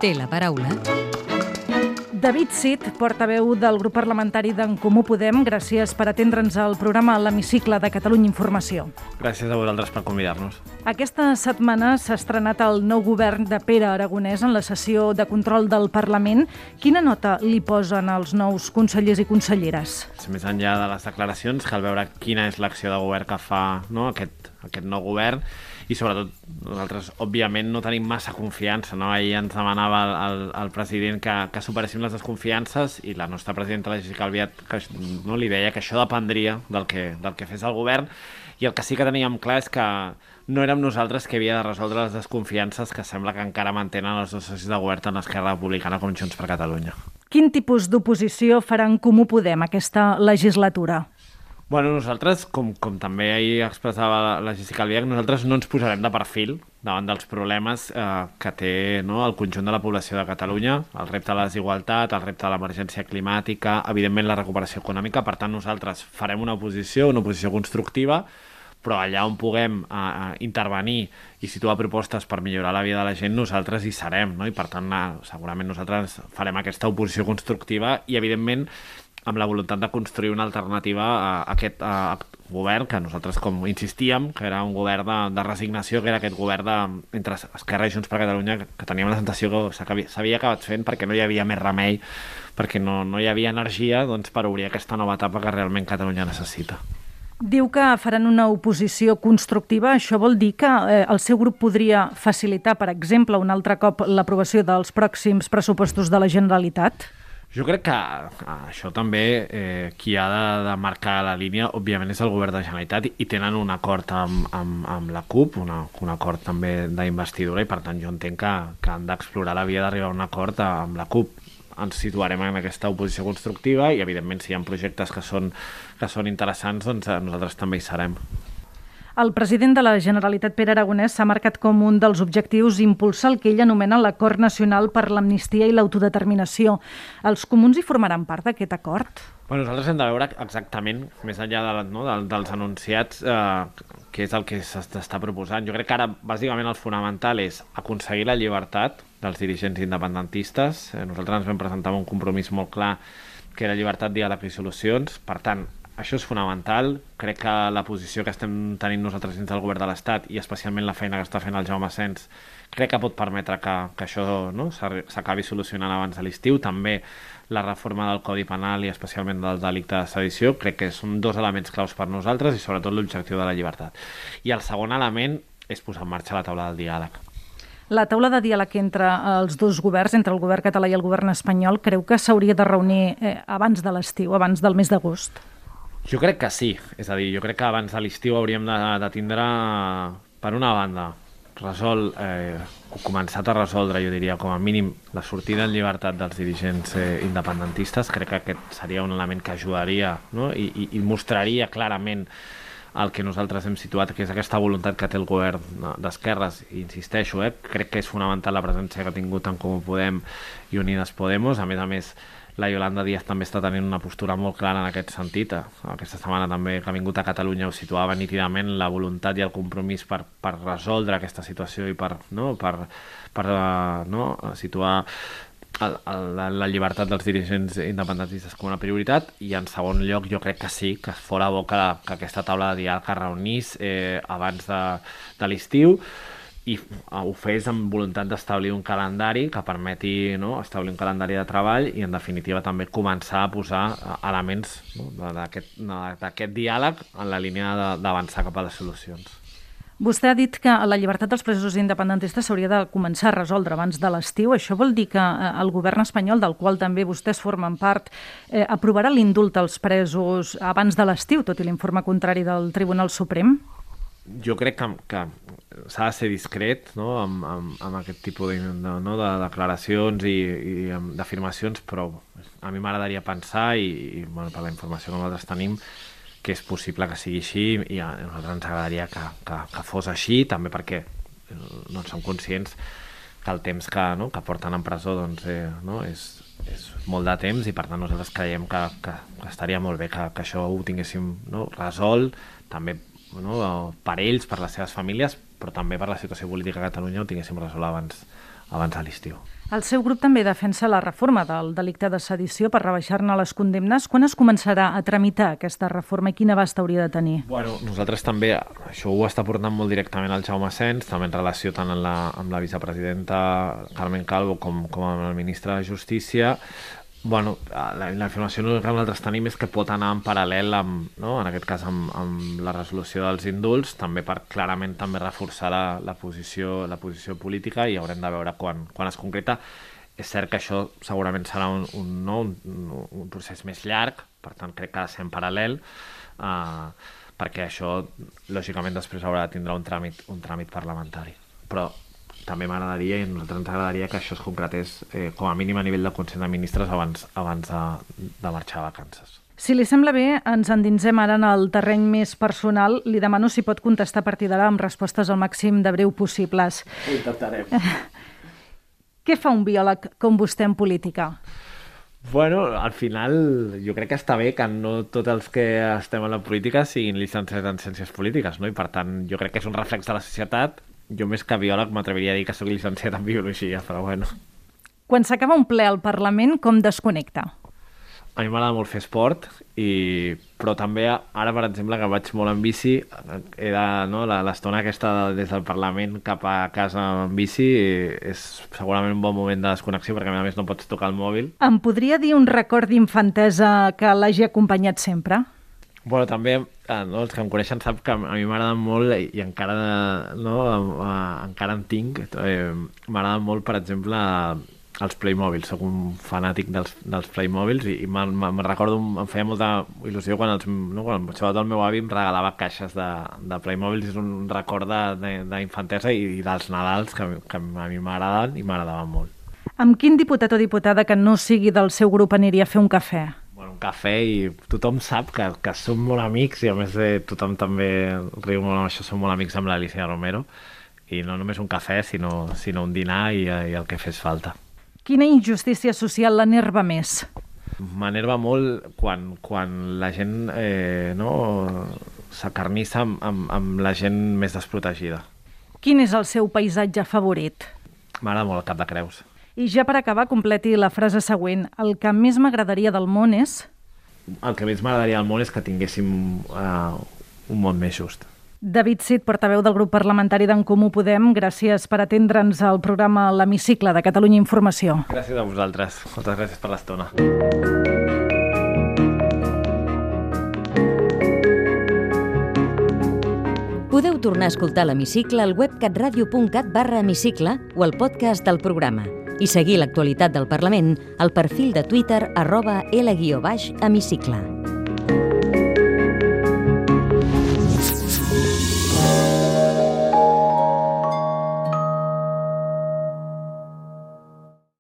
té la paraula David Cid, portaveu del grup parlamentari d'en Comú Podem, gràcies per atendre'ns al programa L'Hemicicle de Catalunya Informació. Gràcies a vosaltres per convidar-nos. Aquesta setmana s'ha estrenat el nou govern de Pere Aragonès en la sessió de control del Parlament. Quina nota li posen els nous consellers i conselleres? Més enllà de les declaracions, cal veure quina és l'acció de govern que fa aquest nou govern i sobretot nosaltres òbviament no tenim massa confiança, no? Ahir ens demanava el president que superéssim les desconfiances i la nostra presidenta, la Jessica Albiach, li deia que això dependria del que fes el govern, i el que sí que teníem clar és que no érem nosaltres que havia de resoldre les desconfiances que sembla que encara mantenen els dos socis de govern, tant Esquerra Republicana com Junts per Catalunya. Quin tipus d'oposició farà en Comú Podem aquesta legislatura? Bueno, nosaltres, com també ahir expressava la Jessica Albiach, nosaltres no ens posarem de perfil davant dels problemes que té el conjunt de la població de Catalunya, el repte de la desigualtat, el repte de l'emergència climàtica, evidentment la recuperació econòmica. Per tant, nosaltres farem una oposició constructiva, però allà on puguem intervenir i situar propostes per millorar la vida de la gent, nosaltres hi serem, no? I per tant, segurament nosaltres farem aquesta oposició constructiva i, evidentment, amb la voluntat de construir una alternativa a aquest govern, que nosaltres, com insistíem, que era un govern de resignació, que era aquest govern entre Esquerra i Junts per Catalunya, que teníem la sensació que s'havia acabat fent perquè no hi havia més remei, perquè no hi havia energia per obrir aquesta nova etapa que realment Catalunya necessita. Diu que faran una oposició constructiva. Això vol dir que el seu grup podria facilitar, per exemple, un altre cop l'aprovació dels pròxims pressupostos de la Generalitat? Jo crec que això també qui ha de marcar la línia, òbviament, és el govern de la Generalitat, i tenen un acord amb la CUP, un acord també d'investidura, i per tant jo entenc que han d'explorar la via d'arribar a un acord amb la CUP. Ens situarem en aquesta oposició constructiva i, evidentment, si hi ha projectes que són interessants, doncs nosaltres també hi serem. El president de la Generalitat, Pere Aragonès, s'ha marcat com un dels objectius impulsar el que ell anomena l'Acord Nacional per l'Amnistia i l'Autodeterminació. Els comuns hi formaran part d'aquest acord? Nosaltres hem de veure exactament, més enllà dels anunciats, què és el que s'està proposant. Jo crec que ara, bàsicament, el fonamental és aconseguir la llibertat dels dirigents independentistes. Nosaltres ens vam presentar un compromís molt clar, que era llibertat, diàleg i solucions. Per tant, això és fonamental. Crec que la posició que estem tenint nosaltres dins del govern de l'Estat, i especialment la feina que està fent el Jaume Asens, crec que pot permetre que això s'acabi solucionant abans de l'estiu. També la reforma del Codi Penal i especialment del delicte de sedició, crec que són dos elements claus per nosaltres, i sobretot l'objectiu de la llibertat. I el segon element és posar en marxa la taula del diàleg. La taula de diàleg entre els dos governs, entre el govern català i el govern espanyol, creu que s'hauria de reunir abans de l'estiu, abans del mes d'agost? Jo crec que sí, és a dir, jo crec que abans de l'estiu hauríem de tindre, per una banda, començat a resoldre, jo diria, com a mínim, la sortida en llibertat dels dirigents independentistes. Crec que aquest seria un element que ajudaria, no? I mostraria clarament el que nosaltres hem situat, que és aquesta voluntat que té el govern d'esquerres. I insisteixo, crec que és fonamental la presència que ha tingut en Comú Podem i Unides Podemos. A més, la Yolanda Díaz també està tenint una postura molt clara en aquest sentit. Aquesta setmana també que ha vingut a Catalunya ho situava nítidament, la voluntat i el compromís per resoldre aquesta situació i per situar la llibertat dels dirigents independentistes com una prioritat. I en segon lloc, jo crec que sí, que fora bo que aquesta taula de diàleg es reunís abans de l'estiu, i ho fes amb voluntat d'establir un calendari que permeti establir un calendari de treball i, en definitiva, també començar a posar elements d'aquest diàleg en la línia d'avançar cap a les solucions. Vostè ha dit que la llibertat dels presos independentistes s'hauria de començar a resoldre abans de l'estiu. Això vol dir que el govern espanyol, del qual també vostès formen part, aprovarà l'indult als presos abans de l'estiu, tot i l'informe contrari del Tribunal Suprem? Jo crec que s'ha de ser discret amb aquest tipus de declaracions i d'afirmacions, però a mi m'agradaria pensar, i per la informació que nosaltres tenim, que és possible que sigui així, i a nosaltres ens agradaria que fos així, també perquè som conscients que el temps que porten en presó és molt de temps, i per tant nosaltres creiem que estaria molt bé que això ho tinguéssim resolt, també per ells, per les seves famílies, però també per la situació política a Catalunya ho tinguéssim resolt abans de l'estiu. El seu grup també defensa la reforma del delicte de sedició per rebaixar-ne les condemnes. Quan es començarà a tramitar aquesta reforma i quin abast hauria de tenir? Bueno, nosaltres també, això ho està portant molt directament al Jaume Asens, també en relació tant amb la vicepresidenta Carmen Calvo com amb el ministre de Justícia. Bueno, la informació que nosaltres tenim és que pot anar en paral·lel amb, no? En aquest cas amb la resolució dels indults, també per clarament també reforçar la posició política, i haurem de veure quan es concreta. És cert que això segurament serà un procés més llarg, per tant crec que ha de ser en paral·lel, perquè això lògicament després haurà de tindre un tràmit parlamentari. Però també m'agradaria, i a nosaltres ens agradaria que això es concretés com a mínim a nivell de Consell de Ministres abans de marxar a vacances. Si li sembla bé, ens endinsem ara en el terreny més personal. Li demano si pot contestar a partir d'ara amb respostes al màxim de breu possibles. Ho intentarem. Què fa un biòleg com vostè en política? Bueno, al final jo crec que està bé que no tots els que estem a la política siguin llicenciats en ciències polítiques, no? I per tant jo crec que és un reflex de la societat. Jo més que biòleg m'atreviria a dir que soc llicenciat en biologia, però bueno. Quan s'acaba un ple al Parlament, com desconnecta? A mi m'agrada molt fer esport, però també ara, per exemple, que vaig molt en bici, l'estona aquesta des del Parlament cap a casa en bici és segurament un bon moment de desconnexió, perquè a més no pots tocar el mòbil. Em podria dir un record d'infantesa que l'hagi acompanyat sempre? Bueno, també els que em coneixen sap que a mi m'agrada molt, i encara en tinc, m'agrada molt, per exemple, els Playmobil. Soc un fanàtic dels Playmobils, i me'n recordo, em feia molta il·lusió quan sobretot el meu avi em regalava caixes de Playmobils. És un record d'infantesa i dels Nadals que a mi m'agraden i m'agradaven molt. Amb quin diputat o diputada que no sigui del seu grup aniria a fer un cafè? Un cafè, i tothom sap que som molt amics, i a més tothom també riu molt amb això, som molt amics amb l'Alicia Romero, i no només un cafè sinó un dinar i el que fes falta. Quina injustícia social l'enerva més? M'enerva molt quan la gent s'acarnissa amb la gent més desprotegida. Quin és el seu paisatge favorit? M'agrada molt el Cap de Creus. I ja per acabar, completi la frase següent. El que més m'agradaria del món és... El que més m'agradaria del món és que tinguéssim un món més just. David Cid, portaveu del grup parlamentari d'en Comú Podem, gràcies per atendre'ns al programa L'Hemicicle de Catalunya Informació. Gràcies a vosaltres. Moltes gràcies per l'estona. Podeu tornar a escoltar l'Hemicicle al web catradio.cat/hemicicle o al podcast del programa, i seguir l'actualitat del Parlament al perfil de Twitter @L_hemicicle.